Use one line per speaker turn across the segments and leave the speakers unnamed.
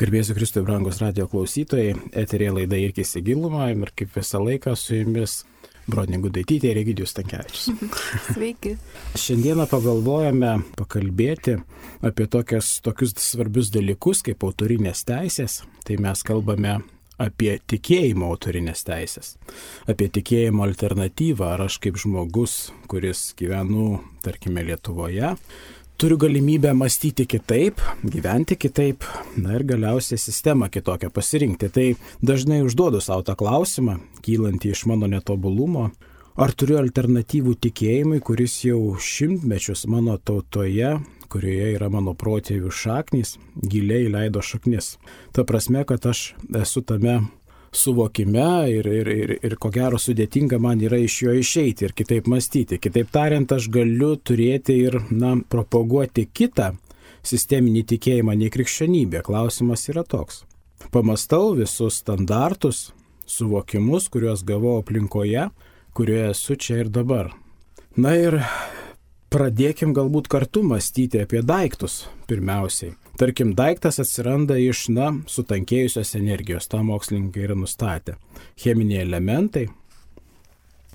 Garbėsiu Kristui, brangus radio klausytojai, eterėje laida Irkis į gilumą ir kaip visą laiką su jumis Bronė Gudaitytė ir Egidijus Stankevičius.
Sveiki.
Šiandieną pagalvojame pakalbėti apie tokius svarbius dalykus kaip autorinės teisės. Tai mes kalbame apie tikėjimo autorinės teisės, apie tikėjimo alternatyvą, ar aš kaip žmogus, kuris gyvenu, tarkime, Lietuvoje, turiu galimybę mąstyti kitaip, gyventi kitaip, na ir galiausiai sistemą kitokią pasirinkti. Tai dažnai užduodu savo tą klausimą, kylantį iš mano netobulumo, ar turiu alternatyvų tikėjimui, kuris jau šimtmečius mano tautoje, kurioje yra mano protėvių šaknys, giliai leido šaknis. Ta prasme, kad aš esu tame suvokime ir ko gero sudėtinga man yra iš jo išeiti ir kitaip mąstyti. Kitaip tariant, aš galiu turėti ir, propaguoti kitą sisteminį tikėjimą nei krikščionybė. Klausimas yra toks. Pamastau visus standartus, suvokimus, kuriuos gavau aplinkoje, kurioje esu čia ir dabar. Na ir pradėkim galbūt kartu mąstyti apie daiktus pirmiausiai. Tarkim, daiktas atsiranda iš, sutankėjusios energijos, tą mokslininkai yra nustatę. Cheminiai elementai,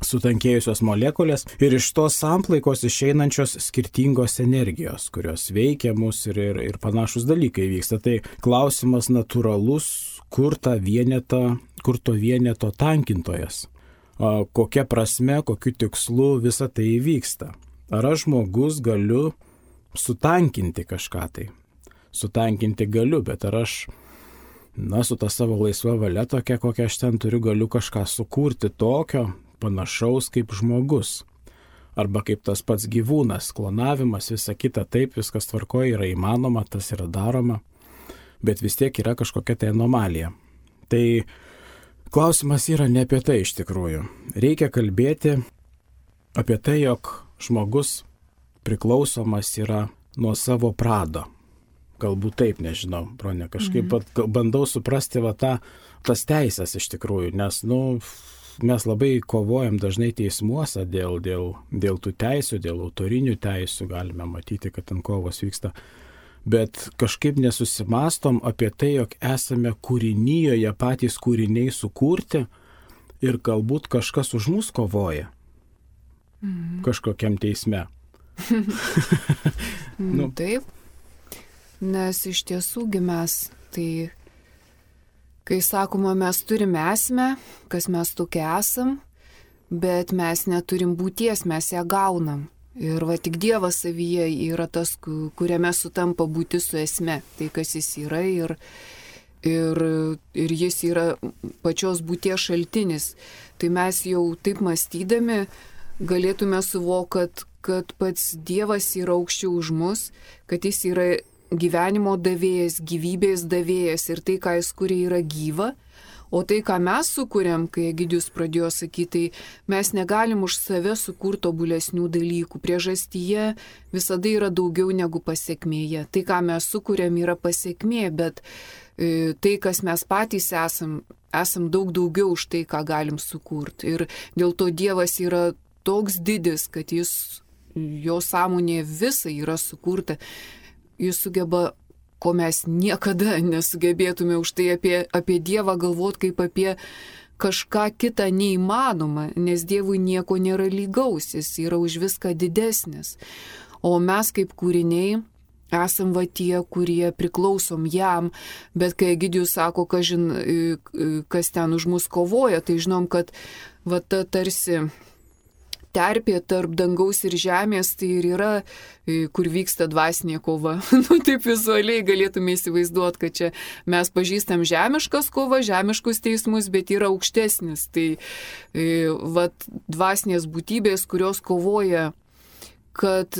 sutankėjusios molekulės ir iš tos samplaikos išeinančios skirtingos energijos, kurios veikia mus ir panašus dalykai vyksta. Tai klausimas natūralus, kur to vieneto tankintojas, kokia prasme, kokiu tikslu visa tai įvyksta. Ar aš žmogus galiu sutankinti kažką tai? Sutankinti galiu, bet ar aš, su ta savo laisva valia tokia, kokią aš ten turiu, galiu kažką sukurti tokio, panašaus kaip žmogus. Arba kaip tas pats gyvūnas, klonavimas, visa kita, taip, viskas tvarkoje, yra įmanoma, tas yra daroma, bet vis tiek yra kažkokia tai anomalija. Tai klausimas yra ne apie tai iš tikrųjų. Reikia kalbėti apie tai, jog žmogus priklausomas yra nuo savo prado. Galbūt taip, nežinau, Bronė, kažkaip bandau suprasti tas teisės iš tikrųjų, nes, mes labai kovojam dažnai teismuose dėl tų teisių, dėl autorinių teisių, galime matyti, kad ten kovos vyksta, bet kažkaip nesusimastom apie tai, jog esame kūrinyjoje patys kūriniai sukurti ir galbūt kažkas už mus kovoja kažkokiam teisme.
Taip. Nes iš tiesųgi mes, tai kai sakoma, mes turime esmę, kas mes tokie esam, bet mes neturim būties, mes ją gaunam. Ir tik Dievas savyje yra tas, kuriame sutampa būtis su esme, tai kas jis yra ir jis yra pačios būties šaltinis. Tai mes jau taip mąstydami galėtume suvokti, kad pats Dievas yra aukščiau už mus, kad jis yra gyvenimo davėjas, gyvybės davėjas ir tai, ką jis kuria, yra gyva, o tai, ką mes sukūrėm, kai Egidijus pradėjo sakyti, tai mes negalim už save sukurti tobulesnių dalykų. Priežastyje visada yra daugiau negu pasekmėje. Tai, ką mes sukūrėm, yra pasekmė, bet tai, kas mes patys esam daug daugiau už tai, ką galim sukurti. Ir dėl to Dievas yra toks didis, kad jo sąmonė visa yra sukurta. Jis sugeba, ko mes niekada nesugebėtume už tai apie Dievą galvoti kaip apie kažką kitą neįmanoma, nes Dievui nieko nėra lygaus, jis yra už viską didesnis. O mes kaip kūriniai esam tie, kurie priklausom jam, bet kai Egidijus sako, kas ten už mus kovoja, tai žinom, kad ta tarsi terpė tarp dangaus ir žemės, tai ir yra, kur vyksta dvasinė kova. Taip vizualiai galėtume įsivaizduoti, kad čia mes pažįstam žemiškas kova, žemiškus teismus, bet yra aukštesnis. Tai dvasinės būtybės, kurios kovoja, kad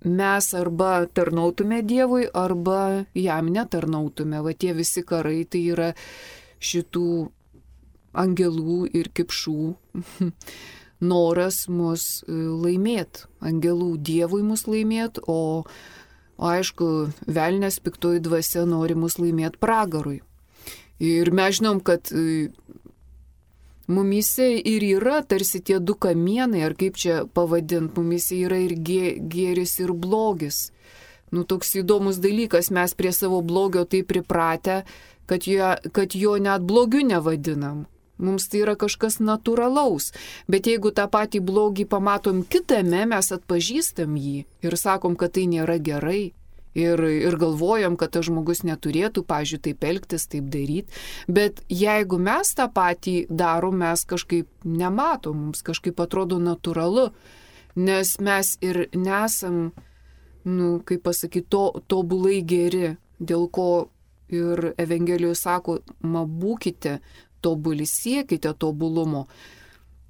mes arba tarnautume Dievui, arba jam netarnautume. Tie visi karai, tai yra šitų angelų ir kipšų noras mus laimėti, angelų Dievui mus laimėti, o aišku, velnias piktoji dvasia nori mus laimėti pragarui. Ir mes žinom, kad mumise ir yra tarsi tie du kamienai, ar kaip čia pavadinti, mumise yra ir gėris ir blogis. Toks įdomus dalykas, mes prie savo blogio taip pripratę, kad jo net blogiu nevadinam. Mums tai yra kažkas natūralaus, bet jeigu tą patį blogį pamatom kitame, mes atpažįstam jį ir sakom, kad tai nėra gerai. Ir galvojam, kad tas žmogus neturėtų, pavyzdžiui, taip elgtis, taip daryti. Bet jeigu mes tą patį darom, mes kažkaip nematom, mums kažkaip atrodo natūralu, nes mes ir nesam, kaip pasakyti, tobulai geri, dėl ko ir Evangelijoje sako, būkite tobuli, siekite tobulumo.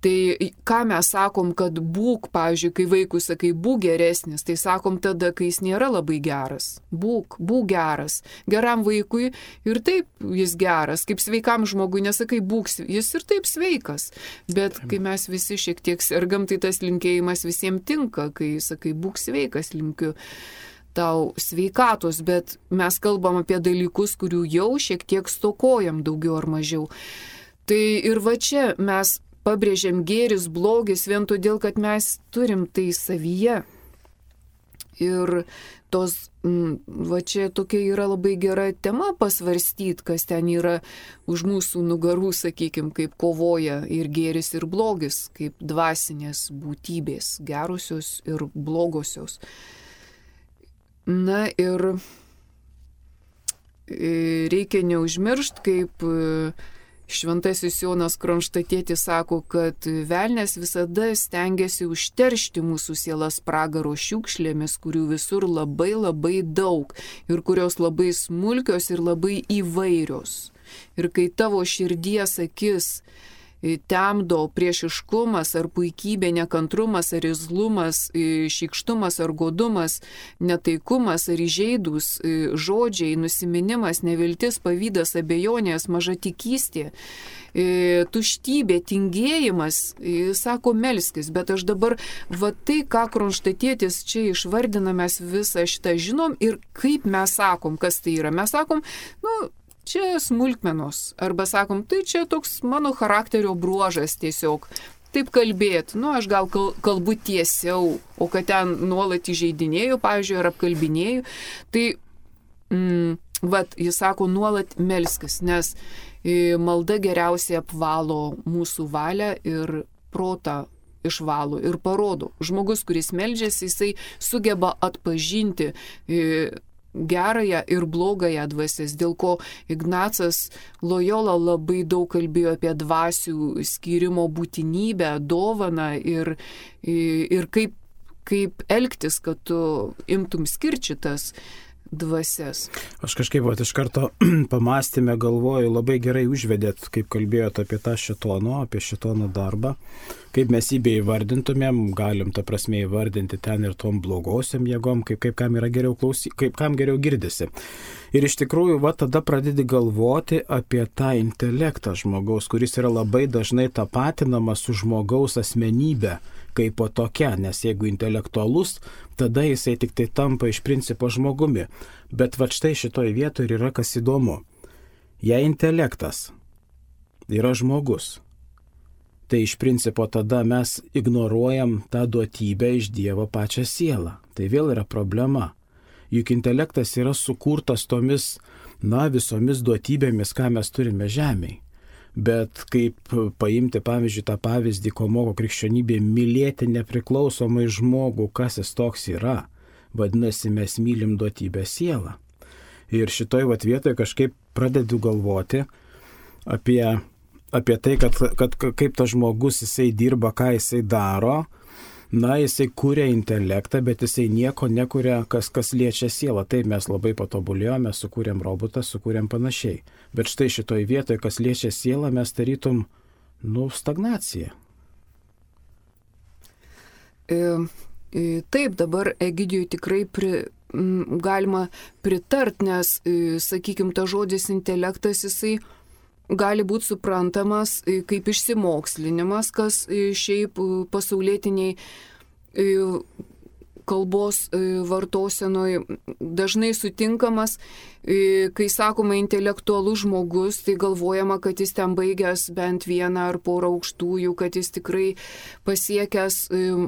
Tai ką mes sakom, kad būk, pavyzdžiui, kai vaikui sakai, būk geresnis, tai sakom tada, kai jis nėra labai geras. Būk geras. Geram vaikui ir taip jis geras. Kaip sveikam žmogui nesakai, būk, jis ir taip sveikas. Bet kai mes visi šiek tiek sergam, tai tas linkėjimas visiems tinka. Kai sakai, būk sveikas, linkiu tau sveikatos. Bet mes kalbam apie dalykus, kurių jau šiek tiek stokojam daugiau ar mažiau. Tai ir va čia mes pabrėžiam gėris, blogis vien todėl, kad mes turim tai savyje. Ir va čia tokia yra labai gera tema pasvarstyti, kas ten yra už mūsų nugarų, sakykime, kaip kovoja ir gėris, ir blogis, kaip dvasinės būtybės, gerosios ir blogosios. Na ir reikia neužmiršti, kaip Šventasis Jonas Kronštatietis sako, kad velnias visada stengiasi užteršti mūsų sielas pragaro šiukšlėmis, kurių visur labai labai daug ir kurios labai smulkios ir labai įvairios. Ir kai tavo širdies akis temdo priešiškumas ar puikybė, nekantrumas ar irzlumas, šykštumas ar godumas, netaikumas ar įžeidūs žodžiai, nusiminimas, neviltis, pavydas, abejonės, mažatikystė, tuštybė, tingėjimas, sako melskis, bet aš dabar va tai, ką Kronštatietis čia išvardina, mes visą šitą žinom ir kaip mes sakom, kas tai yra. Mes sakom, čia smulkmenos, arba sakom, tai čia toks mano charakterio bruožas tiesiog. Taip kalbėti, aš gal kalbu tiesiau, o kad ten nuolat įžeidinėjau, pavyzdžiui, ar apkalbinėjau, tai, jis sako, nuolat melskis, nes malda geriausiai apvalo mūsų valią ir protą išvalo ir parodo. Žmogus, kuris meldžiasi, jisai sugeba atpažinti gerąją ir blogąją dvasias, dėl ko Ignacas Lojola labai daug kalbėjo apie dvasių skyrimo būtinybę, dovaną ir kaip elgtis, kad tu imtum skirčitas dvasias.
Aš kažkaip iš karto pamastėme, galvoju, labai gerai užvedėt, kaip kalbėjot apie tą apie šėtono darbą, kaip mes jį beįvardintumėm, galim tą prasme įvardinti ten ir tom blogosiam jėgom, kaip kam yra geriau kaip kam geriau girdisi. Ir iš tikrųjų, tada pradedi galvoti apie tą intelektą žmogaus, kuris yra labai dažnai tapatinamas su žmogaus asmenybė kaip po tokia, nes jeigu intelektualus, tada jisai tik tai tampa iš principo žmogumi. Bet štai šitoje vietoje yra kas įdomu. Jei intelektas yra žmogus, tai iš principo tada mes ignoruojam tą duotybę iš Dievo pačią sielą. Tai vėl yra problema. Juk intelektas yra sukurtas tomis, visomis duotybėmis, ką mes turime žemėje. Bet kaip paimti, pavyzdžiui, tą pavyzdį, ko moko krikščionybė, mylėti nepriklausomai žmogų, kas jis toks yra, vadinasi, mes mylim duotybę sielą. Ir šitoj vietoje kažkaip pradedu galvoti apie tai, kad kaip tas žmogus jisai dirba, ką jisai daro. Jisai kūrė intelektą, bet jisai nieko nekuria, kas liečia sielą. Taip, mes labai patobulėjome, sukūrėm robotą, sukūrėm panašiai. Bet štai šitoj vietoje, kas liečia sielą, mes tarytum, stagnacija.
Taip, dabar Egidijui tikrai galima pritart, nes, sakykime, ta žodis intelektas, jisai gali būti suprantamas kaip išsimokslinimas, kas šiaip pasaulietiniai kalbos vartosenoj dažnai sutinkamas. Kai sakoma intelektualus žmogus, tai galvojama, kad jis ten baigęs bent vieną ar porą aukštųjų, kad jis tikrai pasiekęs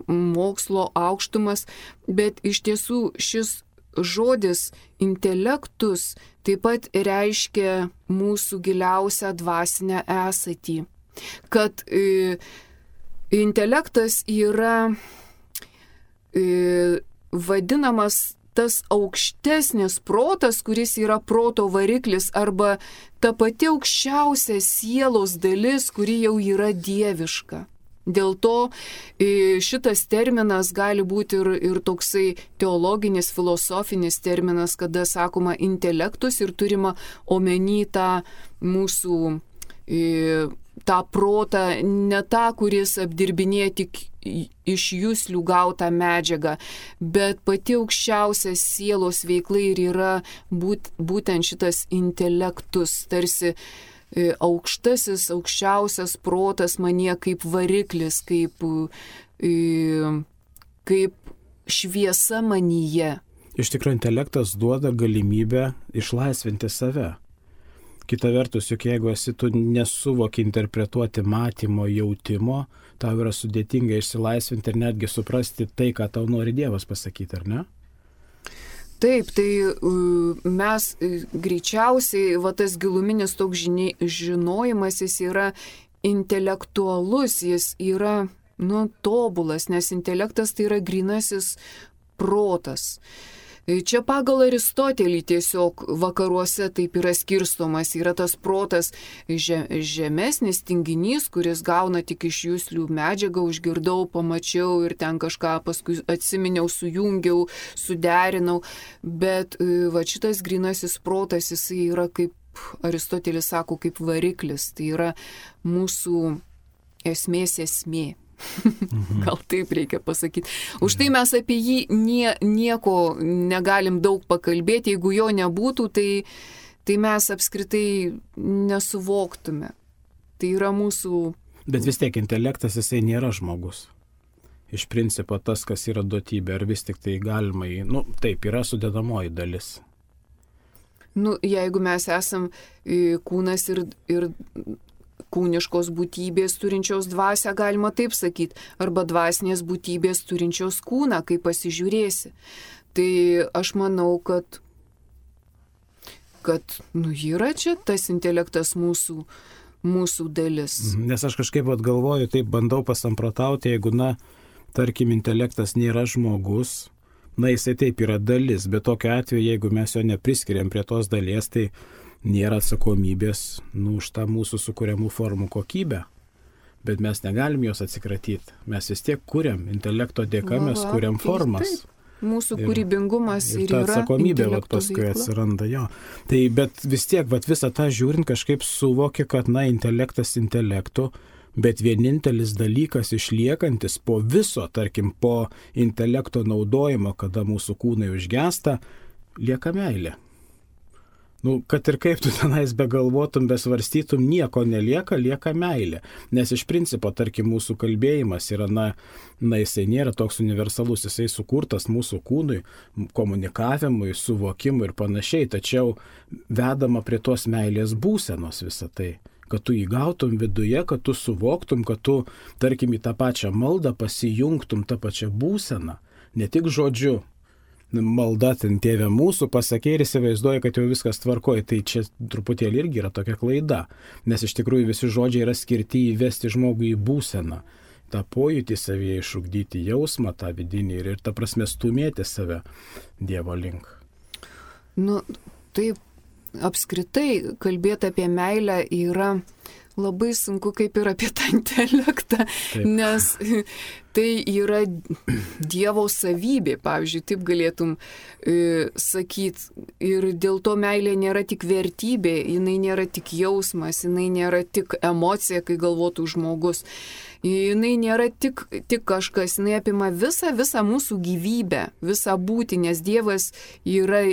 mokslo aukštumas, bet iš tiesų šis žodis intelektus taip pat reiškia mūsų giliausią dvasinę esatį. Kad intelektas yra vadinamas tas aukštesnis protas, kuris yra proto variklis, arba ta pati aukščiausia sielos dalis, kuri jau yra dieviška. Dėl to šitas terminas gali būti ir toksai teologinis, filosofinis terminas, kada sakoma intelektus ir turima omeny tą mūsų tą protą, ne tą, kuris apdirbinėja tik iš juslių gautą medžiagą, bet pati aukščiausia sielos veikla ir yra būtent šitas intelektus, tarsi aukštasis, aukščiausias protas manyje kaip variklis, kaip šviesa manyje.
Iš tikrųjų, intelektas duoda galimybę išlaisvinti save. Kita vertus, juk jeigu tu nesuvoki interpretuoti matymo, jautimo, tau yra sudėtinga išsilaisvinti ir netgi suprasti tai, ką tau nori Dievas pasakyti, ar ne?
Taip, tai mes greičiausiai, tas giluminis toks žinojimas, jis yra intelektualus, jis yra, tobulas, nes intelektas tai yra grynasis protas. Čia pagal Aristotelį tiesiog vakaruose taip yra skirstomas, yra tas protas žemesnis tinginys, kuris gauna tik iš juslių medžiagą, užgirdau, pamačiau ir ten kažką paskui atsiminiau, sujungiau, suderinau, bet šitas grynasis protas, jisai yra kaip Aristotelis sako, kaip variklis, tai yra mūsų esmės esmė. Gal taip reikia pasakyti. Už tai mes apie jį nieko negalim daug pakalbėti, jeigu jo nebūtų, tai mes apskritai nesuvoktume. Tai yra mūsų...
Bet vis tiek intelektas, jisai nėra žmogus. Iš principo tas, kas yra duotybė, ar vis tik tai galima taip, yra sudedamoji dalis.
Jeigu mes esam kūnas ir kūniškos būtybės turinčios dvasią, galima taip sakyti, arba dvasinės būtybės turinčios kūną, kai pasižiūrėsi. Tai aš manau, kad yra čia tas intelektas mūsų dalis.
Nes aš kažkaip galvoju, taip bandau pasamprotauti, jeigu, tarkim, intelektas nėra žmogus, jisai taip yra dalis, bet tokiu atveju, jeigu mes jo nepriskiriam prie tos dalies, tai nėra atsakomybės už tą mūsų sukuriamų formų kokybę, bet mes negalim jos atsikratyti. Mes vis tiek kuriam, intelekto dėka mes kuriam formas.
Taip. Mūsų kūrybingumas ir yra
atsakomybė paskui atsiranda jo. Tai bet vis tiek visą tą žiūrint kažkaip suvoki, kad intelektas intelektu, bet vienintelis dalykas išliekantis po viso, tarkim, po intelekto naudojimo, kada mūsų kūnai užgesta, lieka meilė. Kad ir kaip tu tenais begalvotum, besvarstytum, nieko nelieka, lieka meilė. Nes iš principo, tarkim, mūsų kalbėjimas yra, jisai nėra toks universalus, jisai sukurtas mūsų kūnui, komunikavimui, suvokimui ir panašiai, tačiau vedama prie tos meilės būsenos visą tai. Kad tu įgautum viduje, kad tu suvoktum, kad tu, tarkim, į tą pačią maldą pasijungtum tą pačią būseną, ne tik žodžiu. Malda ten Tėve mūsų pasakė ir įsivaizduoja, kad jau viskas tvarkoja. Tai čia truputėlį irgi yra tokia klaida, nes iš tikrųjų visi žodžiai yra skirti įvesti žmogų į būseną, tą pojūtį savyje išugdyti, jausmą tą vidinį ir ta prasme stumėti save Dievo link.
Taip, apskritai kalbėti apie meilę yra labai sunku kaip ir apie tą intelektą, nes tai yra Dievo savybė, pavyzdžiui, taip galėtum sakyti. Ir dėl to meilė nėra tik vertybė, jinai nėra tik jausmas, jinai nėra tik emocija, kai galvotų žmogus. Jinai nėra tik kažkas, jinai apima visą mūsų gyvybę, visą būtį, nes Dievas yra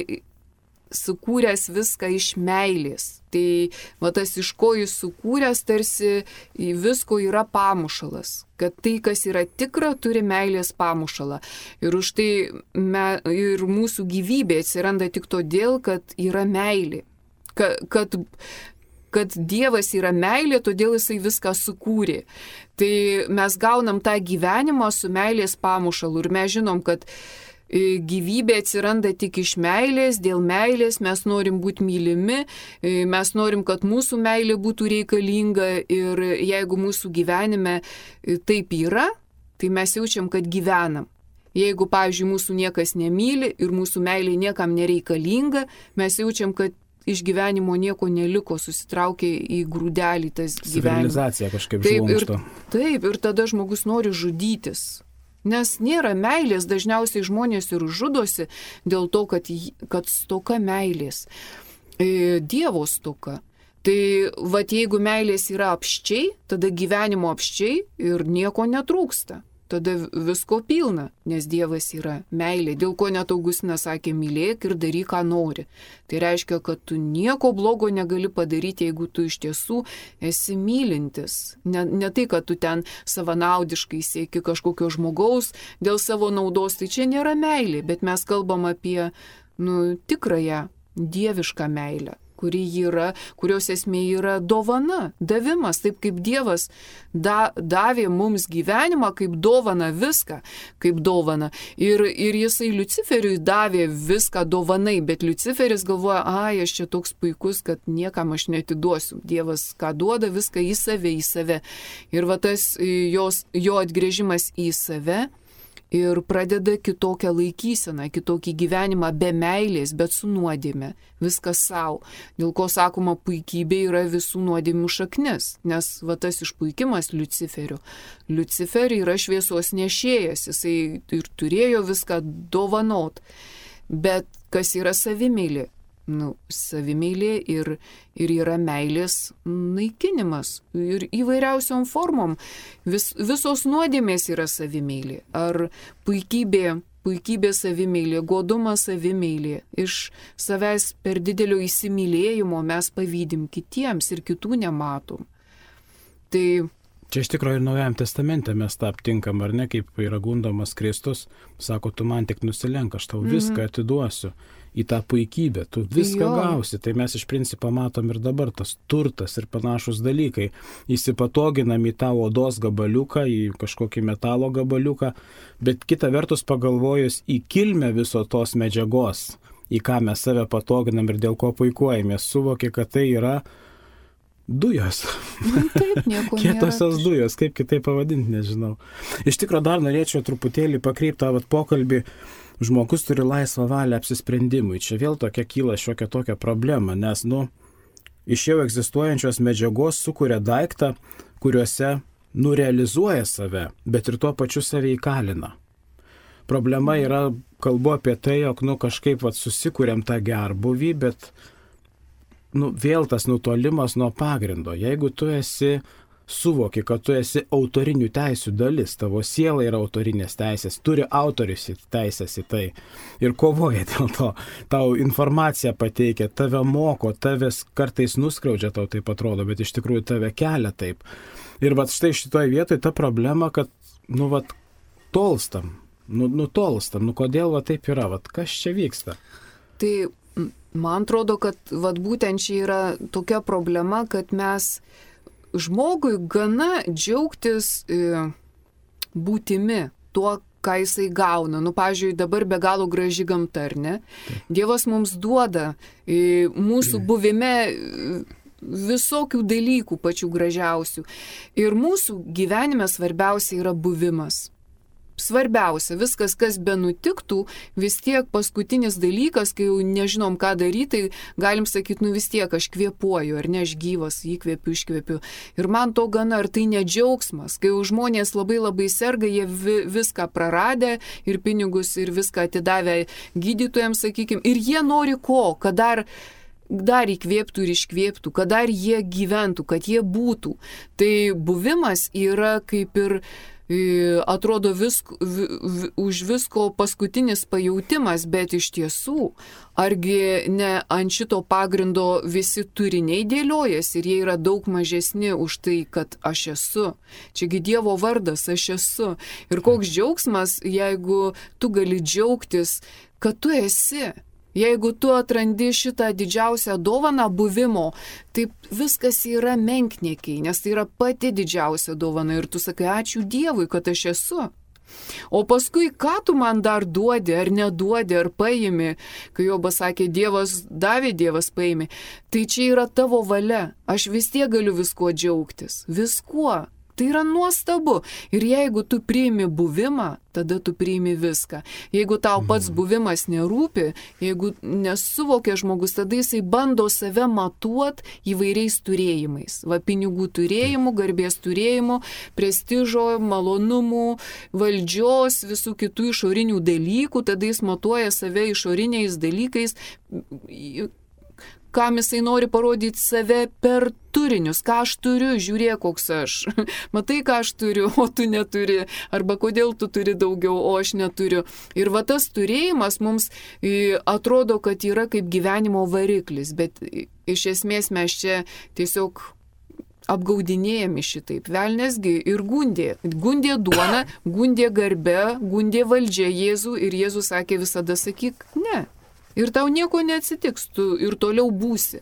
sukūręs viską iš meilės. Tai tas iš ko jis sukūręs, tarsi visko yra pamušalas. Kad tai, kas yra tikra, turi meilės pamušalą. Ir už tai ir mūsų gyvybė atsiranda tik todėl, kad yra meilė. Kad Dievas yra meilė, todėl jisai viską sukūrė. Tai mes gaunam tą gyvenimą su meilės pamušalu. Ir mes žinom, kad gyvybė atsiranda tik iš meilės, dėl meilės mes norim būti mylimi, mes norim, kad mūsų meilė būtų reikalinga ir jeigu mūsų gyvenime taip yra, tai mes jaučiam, kad gyvenam. Jeigu, pavyzdžiui, mūsų niekas nemyli ir mūsų meilė niekam nereikalinga, mes jaučiam, kad iš gyvenimo nieko neliko, susitraukė į grūdelį tas gyvenimas.
Civilizacija kažkaip žlungsto.
Taip, ir tada žmogus nori žudytis. Nes nėra meilės, dažniausiai žmonės ir žudosi dėl to, kad stoka meilės. Dievo stoka. Tai jeigu meilės yra apščiai, tada gyvenimo apščiai ir nieko netrūksta. Tada visko pilna, nes Dievas yra meilė, dėl ko net Augustinas sakė, mylėk ir daryk, ką nori. Tai reiškia, kad tu nieko blogo negali padaryti, jeigu tu iš tiesų esi mylintis. Ne tai, kad tu ten savanaudiškai sieki kažkokio žmogaus dėl savo naudos, tai čia nėra meilė, bet mes kalbam apie tikrąją dievišką meilę, kurios esmė yra dovana, davimas, taip kaip Dievas davė mums gyvenimą, kaip dovana viską, kaip dovana. Ir jisai Liuciferiui davė viską dovanai, bet Liuciferis galvoja, aš čia toks puikus, kad niekam aš netiduosiu. Dievas ką duoda, viską į save. Ir tas jo atgrėžimas į save ir pradeda kitokią laikyseną, kitokį gyvenimą be meilės, bet su nuodėme, viskas savo. Dėl ko sakoma, puikybė yra visų nuodėmių šaknis, nes tas išpuikimas Liuciferio. Liuciferį yra šviesos nešėjas, jisai ir turėjo viską dovanot. Bet kas yra savimeilė? Savimeilė ir yra meilės naikinimas ir įvairiausiom formom. Visos nuodėmės yra savimeilė. Ar puikybė savimeilė, godumas savimeilė. Iš savęs per didelio įsimylėjimo mes pavydim kitiems ir kitų nematom. Tai
čia iš tikrųjų ir Naujajam testamente mes tą aptinkam, ar ne, kaip yra gundomas Kristus, sako, tu man tik nusilenk, aš tau viską atiduosiu į tą puikybę, tu viską gausi. Tai mes iš principo matom ir dabar tas turtas ir panašus dalykai. Įsipatoginam į tą odos gabaliuką, į kažkokį metalo gabaliuką, bet kita vertus pagalvojus į kilmę viso tos medžiagos, į ką mes save patoginam ir dėl ko puikuojamės, suvoki, kad tai yra dujos.
Taip, nieko nėra.
Kietosios dujos, kaip kitaip pavadinti, nežinau. Iš tikrųjų dar norėčiau truputėlį pakreipti tą pokalbį. Žmogus turi laisvą valią apsisprendimui. Čia vėl tokia kyla šiokia tokia problema, nes, iš jau egzistuojančios medžiagos sukuria daiktą, kuriuose, realizuoja save, bet ir tuo pačiu save įkalina. Problema yra, kalbu apie tai, jog, kažkaip susikuriam tą gerbuvį, bet vėl tas nutolimas nuo pagrindo. Jeigu tu suvoki, kad tu esi autorinių teisių dalis, tavo siela yra autorinės teisės, turi autorius teisės į tai ir kovoja dėl to, tau informaciją pateikia, tave moko, tavęs kartais nuskriaudžia, tau taip atrodo, bet iš tikrųjų tave kelia taip. Ir štai šitoje vietoje ta problema, kad, tolstam, nutolstam, kodėl taip yra, kas čia vyksta?
Tai man atrodo, kad būtent čia yra tokia problema, kad mes žmogui gana džiaugtis būtimi, tuo, ką jisai gauna. Pavyzdžiui, dabar be galo graži gamta, ar ne? Dievas mums duoda mūsų buvime visokių dalykų pačių gražiausių. Ir mūsų gyvenime svarbiausia yra buvimas. Svarbiausia, viskas, kas be nutiktų, vis tiek paskutinis dalykas, kai jau nežinom, ką daryti, tai galim sakyti, vis tiek aš kvėpuoju, ar ne, aš gyvas, įkvėpiu, iškvėpiu. Ir man to gana, ar tai ne džiaugsmas, kai jau žmonės labai serga, jie viską praradę ir pinigus ir viską atidavę gydytojams, sakykime, ir jie nori ko, kad dar įkvėptų ir iškvėptų, kad dar jie gyventų, kad jie būtų. Tai buvimas yra kaip ir atrodo už visko paskutinis pajautimas, bet iš tiesų, argi ne ant šito pagrindo visi turiniai dėliojasi ir jie yra daug mažesni už tai, kad aš esu. Čiagi Dievo vardas, aš esu. Ir koks džiaugsmas, jeigu tu gali džiaugtis, kad tu esi. Jeigu tu atrandi šitą didžiausią dovaną buvimo, tai viskas yra menkniekiai, nes tai yra pati didžiausia dovana ir tu sakai, ačiū Dievui, kad aš esu. O paskui, ką tu man dar duodi, ar neduodi, ar paimi, kai Jobas sakė, Dievas davė, Dievas paimi, tai čia yra tavo valia, aš vis tiek galiu viskuo džiaugtis, viskuo. Tai yra nuostabu. Ir jeigu tu priimi buvimą, tada tu priimi viską. Jeigu tau pats buvimas nerūpi, jeigu nesuvokia žmogus, tada jisai bando save matuot įvairiais turėjimais. Va, pinigų turėjimu, garbės turėjimu, prestižo, malonumų, valdžios, visų kitų išorinių dalykų, tada jis matuoja save išoriniais dalykais, kam jisai nori parodyti save per turinius, ką aš turiu, žiūrėk, koks aš. Matai, ką aš turiu, o tu neturi. Arba kodėl tu turi daugiau, o aš neturiu. Ir va tas turėjimas mums atrodo, kad yra kaip gyvenimo variklis, bet iš esmės mes čia tiesiog apgaudinėjami šitaip. Velnesgi ir gundė. Gundė duona, gundė garbė, gundė valdžia Jėzų ir Jėzus sakė visada sakyk, ne. Ir tau nieko neatsitiks, tu ir toliau būsi.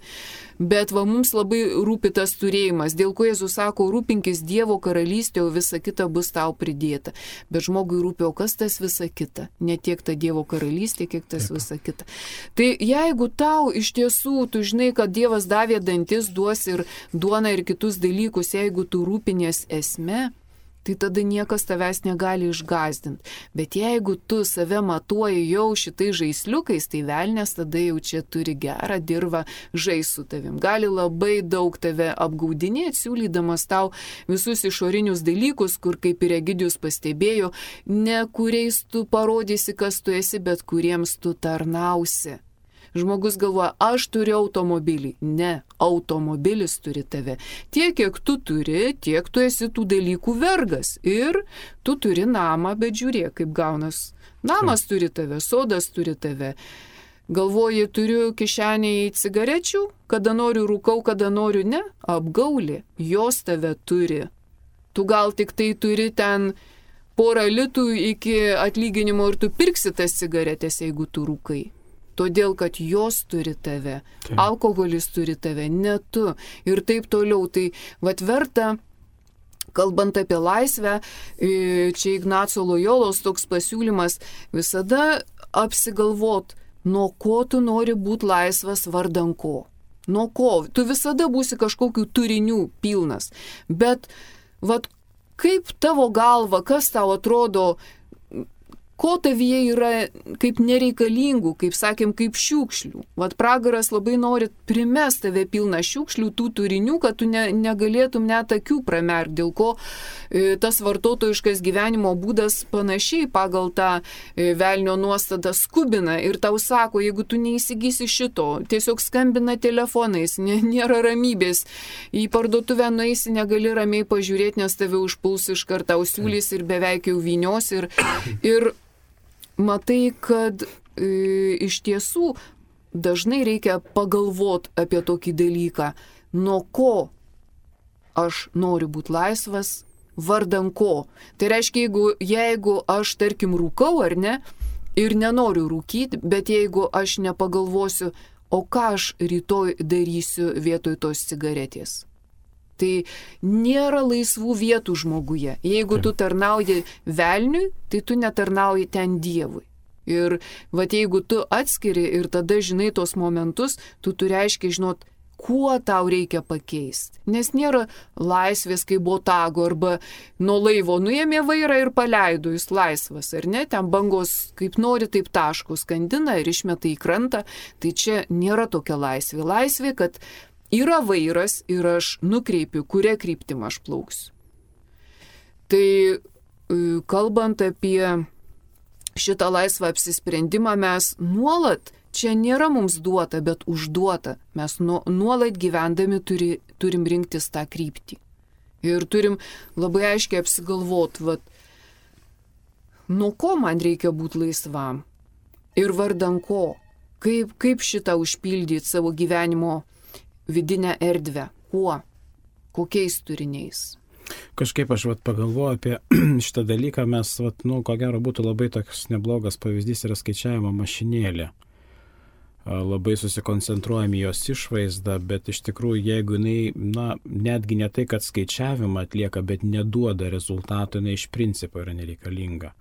Bet va mums labai rūpi tas turėjimas, dėl ko Jėzus sako, rūpinkis Dievo karalystė, o visa kita bus tau pridėta. Bet žmogui rūpi, o kas tas visa kita? Ne tiek ta Dievo karalystė, kiek tas visa kita. Tai jeigu tau iš tiesų, tu žinai, kad Dievas davė dantis, duos ir duoną ir kitus dalykus, jeigu tu rūpinies esme, tai tada niekas tavęs negali išgąsdinti. Bet jeigu tu save matuoji jau šitai žaisliukais, tai velnės tada jau čia turi gerą dirvą žais su tavim. Gali labai daug tave apgaudinėti, siūlydamas tau visus išorinius dalykus, kur, kaip ir Egidijus pastebėjo, ne kuriais tu parodysi, kas tu esi, bet kuriems tu tarnausi. Žmogus galvoja, aš turiu automobilį. Ne, automobilis turi tave. Tiek, kiek tu turi, tiek tu esi tų dalykų vergas. Ir tu turi namą, bet žiūrėk, kaip gaunas. Namas turi tave, sodas turi tave. Galvoji, turiu kišenėje cigarečių, kada noriu rūkau, kada noriu ne. Apgaulė, jos tave turi. Tu gal tik tai turi ten porą litų iki atlyginimo ir tu pirksi tas cigaretės, jeigu tu rūkai. Todėl, kad jos turi tave, alkoholis turi tave, ne tu ir taip toliau. Tai vat verta, kalbant apie laisvę, čia Ignaco Lojolos toks pasiūlymas, visada apsigalvot, nuo ko tu nori būti laisvas vardan ko. Nuo ko? Tu visada būsi kažkokių turinių pilnas. Bet vat kaip tavo galva, kas tau atrodo, ko tavyje yra kaip nereikalingų, kaip sakėm, kaip šiukšlių. Vat pragaras labai nori primest tave pilną šiukšlių, tų turinių, kad tu negalėtum net akių pramerkti, dėl ko tas vartotojiškas gyvenimo būdas panašiai pagal tą velnio nuostatą skubina ir tau sako, jeigu tu neįsigysi šito, tiesiog skambina telefonais, nėra ramybės, į parduotuvę nueisi, negali ramiai pažiūrėti, nes tave užpuls iš karto siūlys ir beveik jau vynios ir matai, kad iš tiesų dažnai reikia pagalvoti apie tokį dalyką, nuo ko aš noriu būti laisvas, vardan ko. Tai reiškia, jeigu aš, tarkim, rūkau ar ne, ir nenoriu rūkyti, bet jeigu aš nepagalvosiu, o ką aš rytoj darysiu vietoj tos cigaretės. Tai nėra laisvų vietų žmoguje. Jeigu tu tarnauji velniui, tai tu netarnauji ten Dievui. Ir vat jeigu tu atskiri ir tada žinai tos momentus, tu turi aiškiai žinot, kuo tau reikia pakeisti. Nes nėra laisvės kaip botago arba nuo laivo nuėmė vairą ir paleido, jis laisvas, ar ne? Ten bangos kaip nori, taip taško skandina ir išmeta į krantą. Tai čia nėra tokia laisvė. Laisvė, kad yra vairas ir aš nukreipiu, kuria kryptim aš plauksiu. Tai kalbant apie šitą laisvą apsisprendimą, mes nuolat, čia nėra mums duota, bet užduota. Mes nuolat gyvendami turim rinktis tą kryptį. Ir turim labai aiškiai apsigalvoti, nuo ko man reikia būti laisvam ir vardan ko. Kaip šitą užpildyti savo gyvenimo vidinę erdvę. Kuo? Kokiais turiniais?
Kažkaip aš pagalvoju apie šitą dalyką, mes, ko gero būtų labai toks neblogas pavyzdys yra skaičiavimo mašinėlė. labai susikoncentruojam į jos išvaizdą, bet iš tikrųjų, jeigu jinai, netgi ne tai, kad skaičiavimą atlieka, bet neduoda rezultatų, jinai iš principo yra nereikalinga.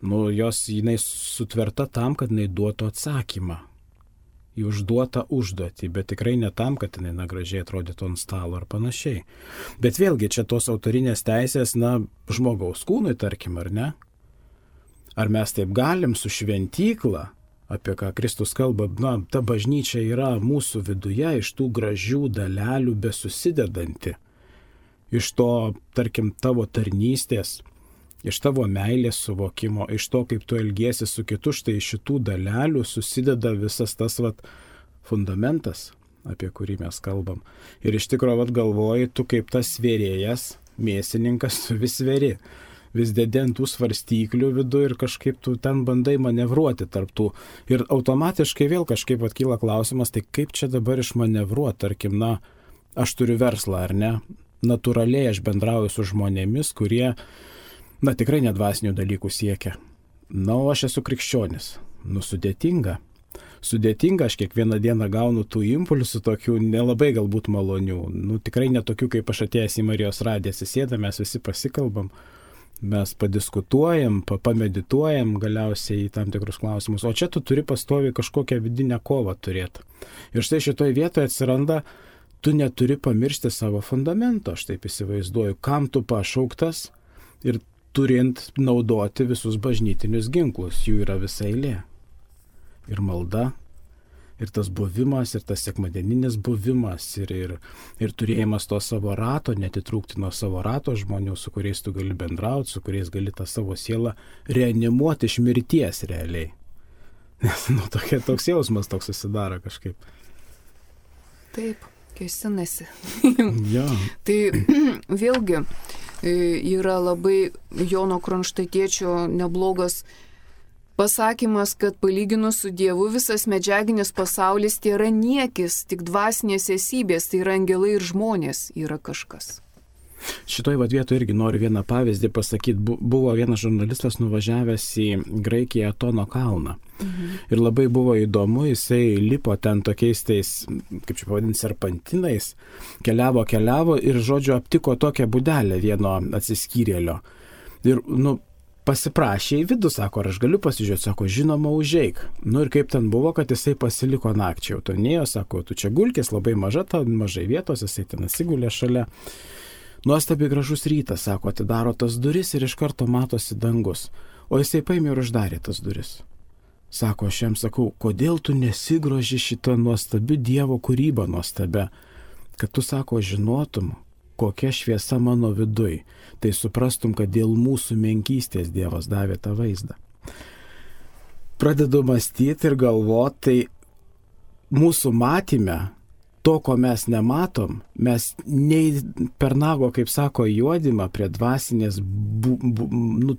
Jinai sutverta tam, kad jinai duotų atsakymą į užduotą užduotį, bet tikrai ne tam, kad jinai gražiai atrodytų ant stalo ar panašiai. Bet vėlgi čia tos autorinės teisės, žmogaus kūnui, tarkim, ar ne? Ar mes taip galim su šventykla, apie ką Kristus kalba, ta bažnyčia yra mūsų viduje, iš tų gražių dalelių besusidedanti, iš to, tarkim, tavo tarnystės, iš tavo meilės suvokimo, iš to, kaip tu elgiesi su kitu, štai iš šitų dalelių susideda visas tas fundamentas, apie kurį mes kalbam. Ir iš tikrųjų galvoji, tu kaip tas svėrėjas, mėsininkas, tu vis sveri. Vis dedentų svarstyklių vidu ir kažkaip tu ten bandai manevruoti tarptų. Ir automatiškai vėl kažkaip kyla klausimas, tai kaip čia dabar išmanevruoti, tarkim, aš turiu verslą, ar ne? Natūraliai aš bendrauju su žmonėmis, kurie, tikrai nedvasinių dalykų siekia. O aš esu krikščionis. Sudėtinga. Sudėtinga, aš kiekvieną dieną gaunu tų impulsų, tokių nelabai galbūt malonių. Tikrai netokių, kaip aš atėjęs į Marijos radiją, sėdame, mes visi pasikalbam. Mes padiskutuojam, pamedituojam galiausiai į tam tikrus klausimus, o čia tu turi pastoviai kažkokią vidinę kovą turėti. Ir štai šitoje vietoje atsiranda, tu neturi pamiršti savo fundamento, aš taip įsivaizduoju, kam tu pašauktas ir turint naudoti visus bažnytinius ginklus, jų yra visa eilė. Ir malda, ir tas buvimas, ir tas sekmadieninis buvimas, ir turėjimas to savo rato, netitrūkti nuo savo rato žmonių, su kuriais tu gali bendrauti, su kuriais gali tą savo sielą reanimuoti iš mirties realiai. Nes toks jausmas toks susidaro kažkaip.
Taip, kėsinasi.
Ja.
Tai vėlgi yra labai Jono Kronštatiečio neblogas pasakymas, kad palyginus su Dievu visas medžiaginis pasaulis tai yra niekis, tik dvasinės esybės, tai yra angelai ir žmonės yra kažkas.
Šitoj vietoje irgi noriu vieną pavyzdį pasakyti. Buvo vienas žurnalistas nuvažiavęs į Graikiją Atono kalną. Ir labai buvo įdomu, jisai lipo ten tokiais tais, kaip čia pavadinti, serpantinais, keliavo ir, žodžiu, aptiko tokią būdelę vieno atsiskyrėlio. Ir, pasiprašė į vidų, sako, ar aš galiu pasižiūrėti, sako, žinoma, užeik. Ir kaip ten buvo, kad jisai pasiliko nakčiai. Autonėjo, sako, tu čia gulkės, labai mažai vietos, jisai ten atsigulė šalia. Nuostabiai gražus rytas, sako, atidaro tas duris ir iš karto matosi dangus. O jisai paėmė ir uždarė tas duris. Sako, aš jam sakau, kodėl tu nesigroži šitą nuostabių Dievo kūrybą nuostabę, kad tu, sako, žinotum, kokia šviesa mano viduj, tai suprastum, kad dėl mūsų menkystės Dievas davė tą vaizdą. Pradedu mąstyti ir galvoti, tai mūsų matyme, to, ko mes nematom, mes nei per nago, kaip sako, juodimą prie dvasinės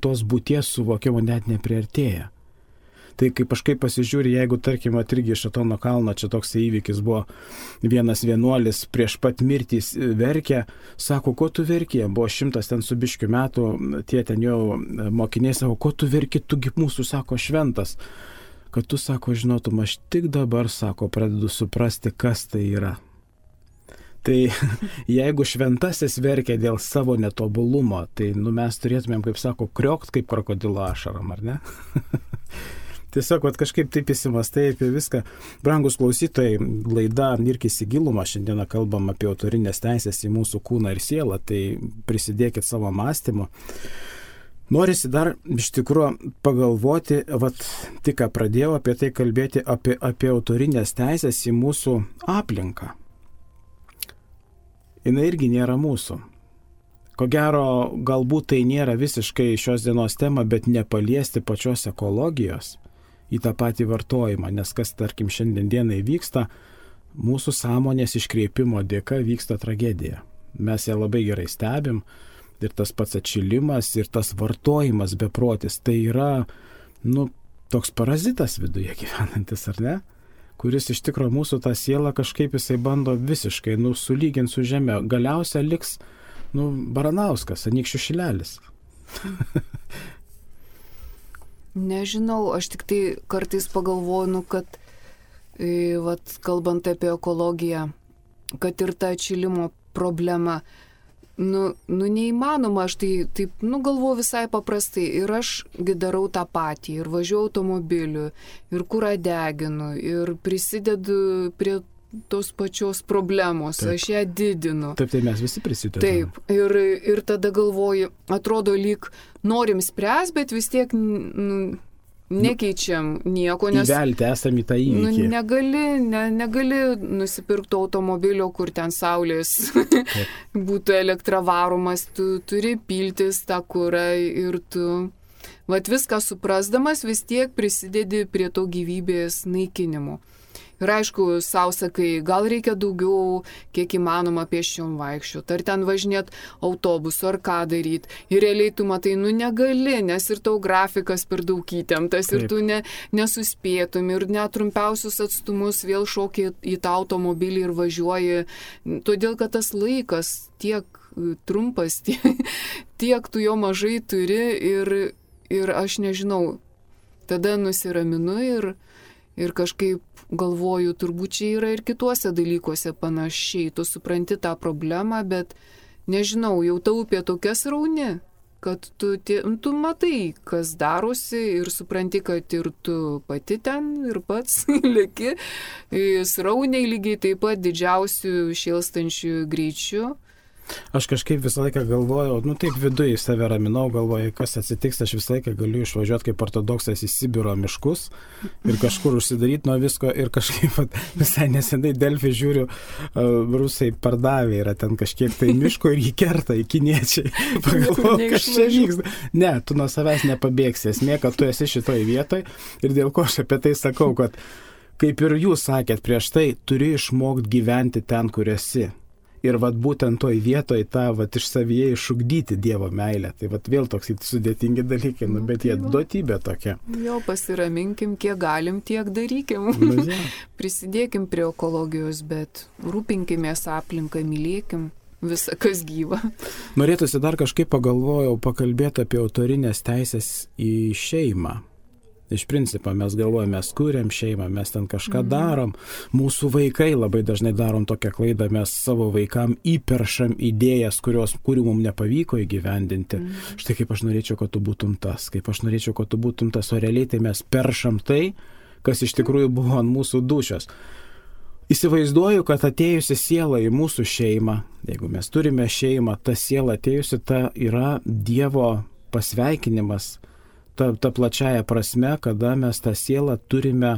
tos būties suvokimo net nepriartėja. Tai kaip kažkaip pasižiūri, jeigu, tarkim, irgi iš Atono kalno, čia toks įvykis buvo, vienas vienuolis prieš pat mirtį verkė, sako, ko tu verkė, buvo 100 ten su biškiu metų, tie ten jau mokiniai sako, ko tu verki, tugi mūsų, sako, šventas, kad tu, sako, žinotum, aš tik dabar, sako, pradedu suprasti, kas tai yra. Tai jeigu šventasis verkia dėl savo netobulumo, tai mes turėtumėm, kaip sako, kriokt kaip krokodilo ašaram, ar ne? Tiesiog kažkaip taip įsimastai apie viską. Brangus klausytojai, laida Irkis į gilumą, šiandieną kalbam apie autorinės teisės į mūsų kūną ir sielą, tai prisidėkit savo mąstymu. Norisi dar iš tikrųjų pagalvoti, tik ką pradėjau apie tai kalbėti, apie autorinės teisės į mūsų aplinką. Jis irgi nėra mūsų. Ko gero, galbūt tai nėra visiškai šios dienos tema, bet nepaliesti pačios ekologijos į tą patį vartojimą, nes kas, tarkim, šiandien dienai vyksta, mūsų sąmonės iškreipimo dėka vyksta tragedija. Mes ją labai gerai stebim ir tas pats atšilimas ir tas vartojimas beprotis, tai yra, toks parazitas viduje gyvenantis, ar ne? Kuris iš tikrųjų mūsų tą sielą kažkaip jisai bando visiškai, sulyginti su žeme. Galiausia liks, Baranauskas, Anykščių Šilelis.
Nežinau, aš tik tai kartais pagalvoju, kad vat, kalbant apie ekologiją, kad ir ta atšilimo problema, neįmanoma, aš taip galvoju visai paprastai ir ašgi darau tą patį ir važiuoju automobiliu ir kurą deginu ir prisidedu prie tos pačios problemos, taip. Aš ją didinu.
Taip, tai mes visi prisidedame.
Taip, ir tada galvoju, atrodo lyg norim spręs, bet vis tiek nekeičiam nieko, nes
įvelti esam į tą įvykį.
Negali nusipirkti automobilio, kur ten saulės būtų elektra varomas, tu turi piltis tą kurą ir tu, vat viską suprasdamas, vis tiek prisidedi prie to gyvybės naikinimo. Ir aišku, sau sakai, gal reikia daugiau, kiek įmanoma pėsčiom vaikščioti, ar ten važinėti autobusu, ar ką daryti. Ir realiai tu matai, negali, nes ir tau grafikas per daug įtemptas, ir tu nesuspėtum, ir net trumpiausius atstumus vėl šoki į tą automobilį ir važiuoji. Todėl, kad tas laikas tiek trumpas, tiek tu jo mažai turi ir aš nežinau, tada nusiraminu ir kažkaip galvoju, turbūt čia yra ir kituose dalykuose panašiai. Tu supranti tą problemą, bet nežinau, jau ta upė tokia srauni, kad tu matai, kas darosi ir supranti, kad ir tu pati ten ir pats leki srauniai lygiai taip pat didžiausių šėlstančių greičių.
Aš kažkaip visą laiką galvojau, taip viduje į save raminau, galvoju, kas atsitiks, aš visą laiką galiu išvažiuoti kaip ortodoksas į Sibiro miškus ir kažkur užsidaryti nuo visko ir kažkaip visai nesenai Delfi žiūriu, rusai pardavė, yra ten kažkiek tai miško ir jį kerta į kiniečiai. Pagalvoju, kas čia vyksta. Ne, tu nuo savęs nepabėgsi, esmė, kad tu esi šitoj vietoj ir dėl ko aš apie tai sakau, kad kaip ir jūs sakėt prieš tai, turi išmokti gyventi ten, kur esi. Ir būtent toj vietoj tą iš savyje išugdyti Dievo meilę. Tai vėl toks sudėtingi dalykai, bet jie duotybė tokia.
Jo, pasiraminkim, kiek galim, tiek darykim. Prisidėkim prie ekologijos, bet rūpinkimės aplinką, mylėkim visą, kas gyva.
Norėtųsi dar kažkaip pakalbėti apie autorinės teisės į šeimą. Iš principo mes galvojame, mes kuriam šeimą, mes ten kažką darom. Mūsų vaikai labai dažnai darom tokią klaidą, mes savo vaikam įperšam idėjas, kurių mums nepavyko įgyvendinti. Štai kaip aš norėčiau, kad tu būtum tas, kaip aš norėčiau, kad tu būtum tas, o realiai tai mes peršam tai, kas iš tikrųjų buvo ant mūsų dūšios. Įsivaizduoju, kad atėjusi siela į mūsų šeimą, jeigu mes turime šeimą, ta siela atėjusi, ta yra Dievo pasveikinimas, ta plačiaja prasme, kada mes tą sielą turime,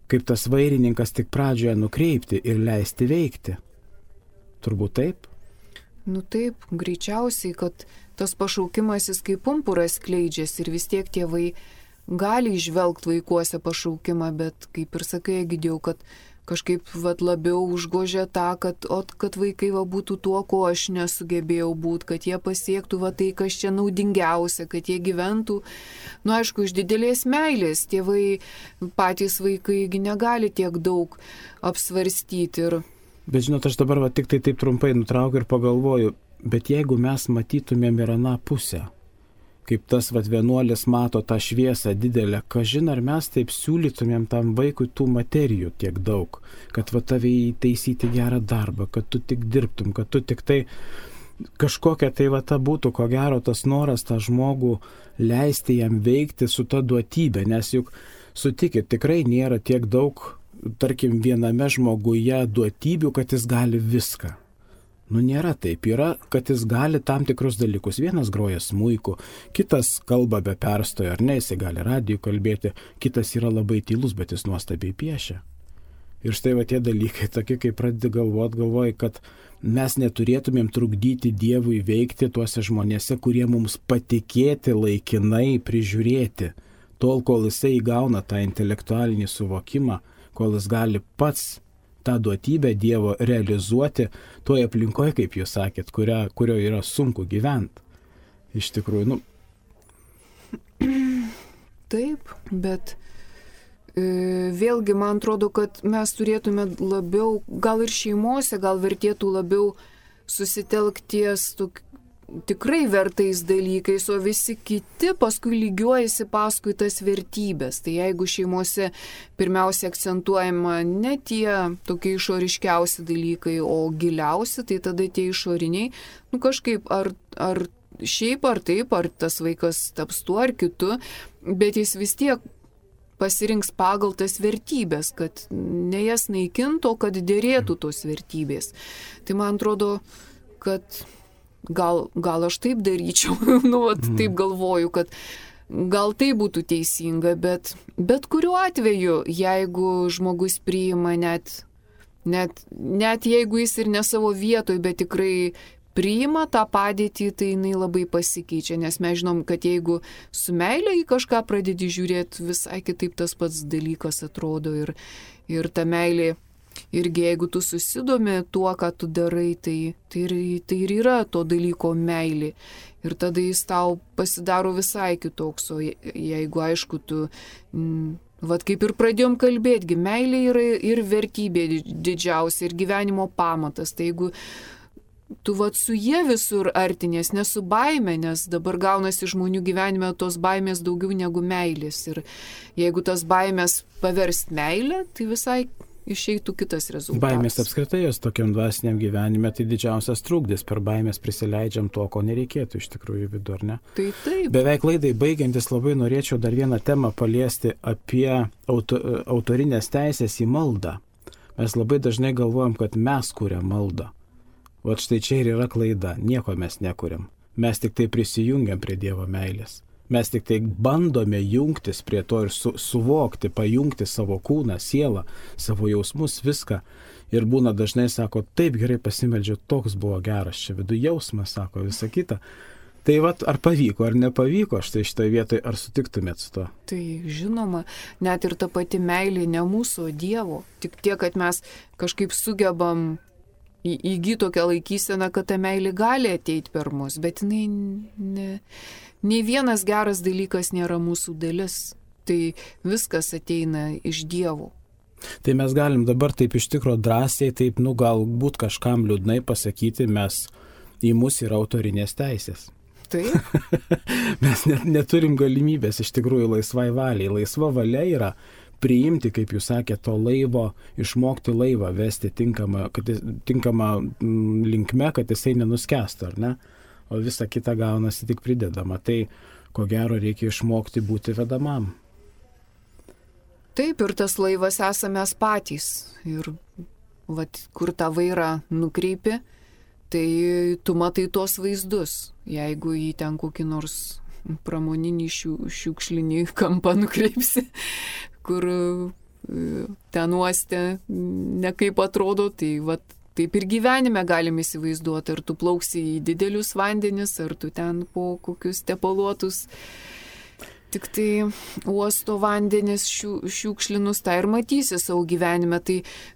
kaip tas vairininkas tik pradžioje nukreipti ir leisti veikti. Turbūt taip?
Taip, greičiausiai, kad tas pašaukimas jis kaip pumpuras skleidžiasi ir vis tiek tėvai gali išvelgti vaikuose pašaukimą, bet kaip ir sakai, Egidijau, kad kažkaip labiau užgožia tą, kad vaikai būtų tuo, ko aš nesugebėjau būti, kad jie pasiektų tai, kas čia naudingiausia, kad jie gyventų, aišku, iš didelės meilės. Tėvai, patys vaikai negali tiek daug apsvarstyti.
Bet žinot, aš dabar tik tai taip trumpai nutraukiu ir pagalvoju, bet jeigu mes matytumėm ir aną pusę, kaip tas vienuolis mato tą šviesą didelę, kažin ar mes taip siūlytumėm tam vaikui tų materijų tiek daug, kad tave įtaisyti gerą darbą, kad tu tik dirbtum, kad tu tik tai kažkokia tai ta būtų, ko gero, tas noras tą žmogų leisti jam veikti su ta duotybė, nes juk sutikit, tikrai nėra tiek daug, tarkim, viename žmoguje duotybių, kad jis gali viską. Nėra taip, yra, kad jis gali tam tikrus dalykus. Vienas groja smuiku, kitas kalba be perstojo, ar ne, jis gali radiju kalbėti, kitas yra labai tylus, bet jis nuostabiai piešia. Ir štai tie dalykai, tokie, kai pradedi galvoji, kad mes neturėtumėm trukdyti Dievui veikti tuose žmonėse, kurie mums patikėti laikinai prižiūrėti, tol, kol jisai įgauna tą intelektualinį suvokimą, kol jis gali pats tą duotybę Dievo realizuoti toje aplinkoje, kaip jūs sakėt, kurio yra sunku gyventi. Iš tikrųjų,
Taip, bet vėlgi man atrodo, kad mes turėtume labiau, gal ir šeimose, gal vertėtų labiau susitelkties tikrai vertais dalykais, o visi kiti paskui lygiuojasi paskui tas vertybės. Tai jeigu šeimose pirmiausia akcentuojama ne tie tokie išoriškiausi dalykai, o giliausi, tai tada tie išoriniai, kažkaip ar šiaip ar taip, ar tas vaikas taps tuo ar kitu, bet jis vis tiek pasirinks pagal tas vertybės, kad ne jas naikintų, kad dėrėtų tos vertybės. Tai man atrodo, kad gal aš taip daryčiau, taip galvoju, kad gal tai būtų teisinga, bet kuriuo atveju, jeigu žmogus priima net jeigu jis ir ne savo vietoj, bet tikrai priima tą padėtį, tai jinai labai pasikeičia, nes mes žinom, kad jeigu su meile į kažką pradedi žiūrėti, visai kitaip tas pats dalykas atrodo ir ta meilė, irgi jeigu tu susidomi tuo, ką tu darai, tai ir yra to dalyko meilė. Ir tada jis tau pasidaro visai kitoks, o jeigu aišku tu... Vat kaip ir pradėjom kalbėti, meilė yra ir vertybė didžiausia, ir gyvenimo pamatas. Tai jeigu tu su jie visur artinės, ne su baime, nes dabar gaunasi žmonių gyvenime tos baimės daugiau negu meilės. Ir jeigu tas baimės paverst meilę, tai visai išeitų kitas rezultatas.
Baimės apskritai jos tokiam dvasiniam gyvenime, tai didžiausias trukdis. Per baimės prisileidžiam to, ko nereikėtų iš tikrųjų vidų, ar ne?
Tai taip.
Beveik laidai baigiantis labai norėčiau dar vieną temą paliesti apie autorinės teisės į maldą. Mes labai dažnai galvojam, kad mes kuriam maldą. Vat štai čia ir yra klaida. Nieko mes nekuriam. Mes tik tai prisijungiam prie Dievo meilės. Mes tik tai bandome jungtis prie to ir suvokti, pajungti savo kūną, sielą, savo jausmus, viską. Ir būna dažnai sako, taip gerai pasimeldžiu, toks buvo geras, čia vidų jausmas, sako, visa kita. Tai vat, ar pavyko, ar nepavyko, štai šitoje vietoje, ar sutiktumėt su to?
Tai žinoma, net ir ta pati meilė ne mūsų, o Dievo. Tik tiek, kad mes kažkaip sugebam įgyti tokią laikyseną, kad ta meilė gali ateiti per mus, bet nei vienas geras dalykas nėra mūsų dalis. Tai viskas ateina iš Dievo.
Tai mes galim dabar taip iš tikro drąsiai, taip, galbūt kažkam liūdnai pasakyti, į mus yra autorinės teisės.
Taip.
Mes neturim galimybės iš tikrųjų laisvai valiai. Laisva valia yra priimti, kaip jūs sakėte, to laivo, išmokti laivą, vesti tinkamą linkme, kad jisai nenuskęstų, ar ne? O visa kita gaunasi tik pridedama. Tai, ko gero, reikia išmokti būti vedamam.
Taip, ir tas laivas esame mes patys. Ir kur tą vairą nukreipi, tai tu matai tos vaizdus. Jeigu į ten kokį nors pramoninį šiukšlinį kampą nukreipsi, kur ten uoste nekaip atrodo, tai taip ir gyvenime galim įsivaizduoti, ar tu plauksi į didelius vandenis, ar tu ten po kokius tepaluotus, tik tai uosto vandenis šiukšlinus, tai ir matysi savo gyvenime. Tai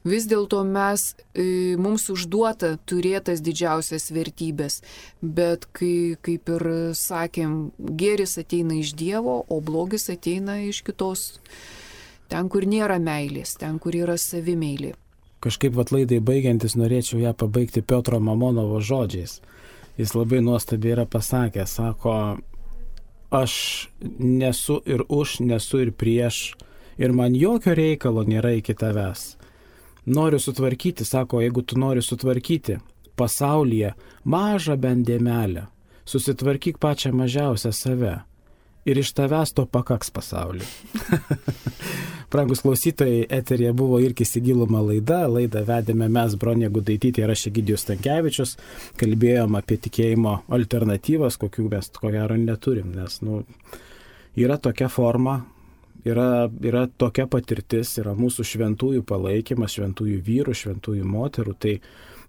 vis dėlto mums užduota turėtas didžiausias vertybės, bet kaip ir sakėm, gėris ateina iš Dievo, o blogis ateina iš kitos. Ten, kur nėra meilės, ten, kur yra savimeilė.
Kažkaip laidai baigiantis norėčiau ją pabaigti Piotro Mamonovo žodžiais. Jis labai nuostabiai yra pasakęs, sako, aš nesu ir už, nesu ir prieš, ir man jokio reikalo nėra iki tavęs. Noriu sutvarkyti, sako, jeigu tu nori sutvarkyti pasaulyje mažą bent dėmelę, susitvarkyk pačią mažiausią save. Ir iš tavęs to pakaks pasaulį. Brangus klausytojai, eteryje buvo Irkis į gilumą laidą vedėme mes, Bronė Gudaitytė ir aš Egidijus Stankevičius, kalbėjom apie tikėjimo alternatyvas, kokių mes ko gero neturim, nes yra tokia forma, yra tokia patirtis, yra mūsų šventųjų palaikymas, šventųjų vyrų, šventųjų moterų, tai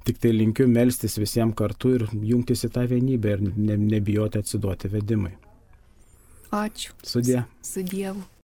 tik tai linkiu melstis visiems kartu ir jungtis į tą vienybę ir nebijoti atsiduoti vedimui.
Ačiū.
Sudie.
Su Dievu.